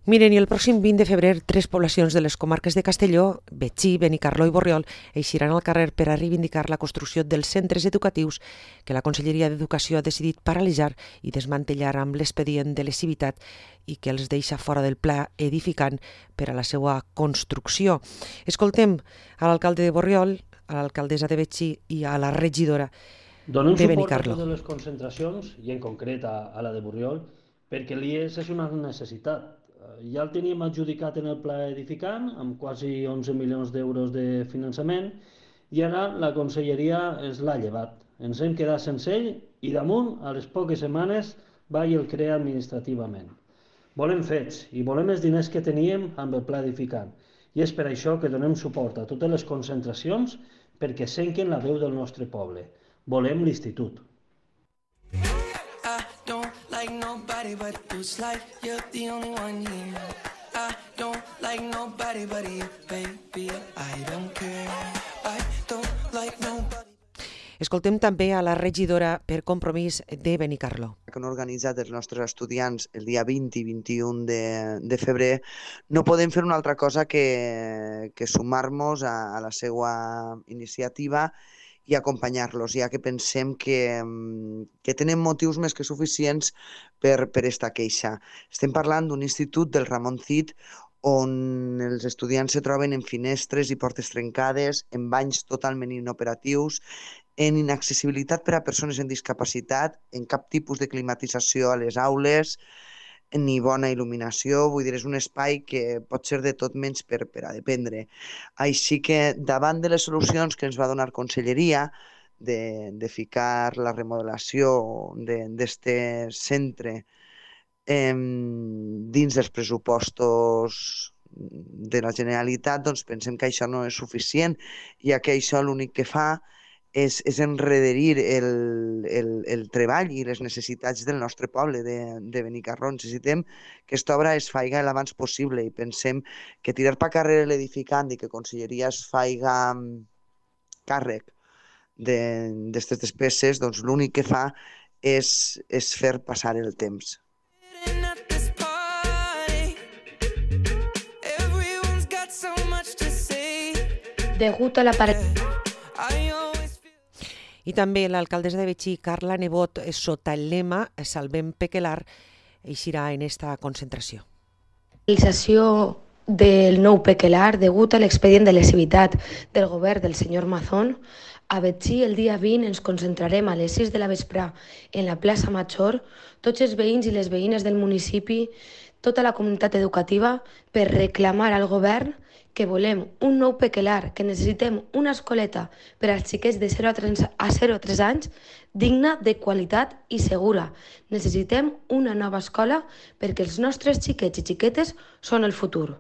Miren, i el pròxim 20 de febrer, 3 poblacions de les comarques de Castelló, Betxí, Benicarló i Borriol, eixiran al carrer per a reivindicar la construcció dels centres educatius que la Conselleria d'Educació ha decidit paralitzar i desmantellar amb l'expedient de lesivitat i que els deixa fora del pla edificant per a la seva construcció. Escoltem a l'alcalde de Borriol, a l'alcaldessa de Betxí i a la regidora de Benicarló. Donem suport a totes les concentracions, i en concret a la de Borriol, perquè l'IES és una necessitat. Ja el teníem adjudicat en el pla edificant, amb quasi 11 milions d'euros de finançament, i ara la conselleria es l'ha llevat. Ens hem quedat sense ell i damunt, a les poques setmanes, va i el crea administrativament. Volem fets i volem els diners que teníem amb el pla edificant. I és per això que donem suport a totes les concentracions perquè senquen la veu del nostre poble. Volem l'institut. Like nobody but you, it's like you're the only one here. I don't like nobody but you, baby. I don't care. I don't like nobody. Escoltem també a la regidora per Compromís de Benicarló. Que han organitzat els nostres estudiants el dia 20 i 21 de febrer, no podem fer una altra cosa que sumar-nos a la seva iniciativa i acompanyar-los, ja que pensem que tenen motius més que suficients per esta queixa. Estem parlant d'un institut del Ramon Cid on els estudiants se troben en finestres i portes trencades, en banys totalment inoperatius, en inaccessibilitat per a persones amb discapacitat, en cap tipus de climatització a les aules, ni bona il·luminació, vull dir, és un espai que pot ser de tot menys per a dependre. Així que davant de les solucions que ens va donar Conselleria de ficar la remodelació d'aquest centre dins dels pressupostos de la Generalitat, doncs pensem que això no és suficient, ja que això l'únic que fa és enrederir el treball i les necessitats del nostre poble de Benicarló. Necessitem que aquesta obra es faiga l'abans possible i pensem que tirar per carrer l'edificant i que Conselleria es faiga càrrec d'aquestes despeses, doncs l'únic que fa és fer passar el temps. Degut a la I també l'alcaldessa de Betxí, Carla Nebot, sota el lema Salvem Pequelar, eixirà en esta concentració. La realització del nou Pequelar, degut a l'expedient de lesivitat del govern del senyor Mazón, a Betxí el dia 20 ens concentrarem a les 6 de la vesprà en la plaça Major, tots els veïns i les veïnes del municipi, tota la comunitat educativa, per reclamar al govern que volem un nou Pequelar, que necessitem una escoleta per als xiquets de 0 a 3 anys, digna, de qualitat i segura. Necessitem una nova escola perquè els nostres xiquets i xiquetes són el futur.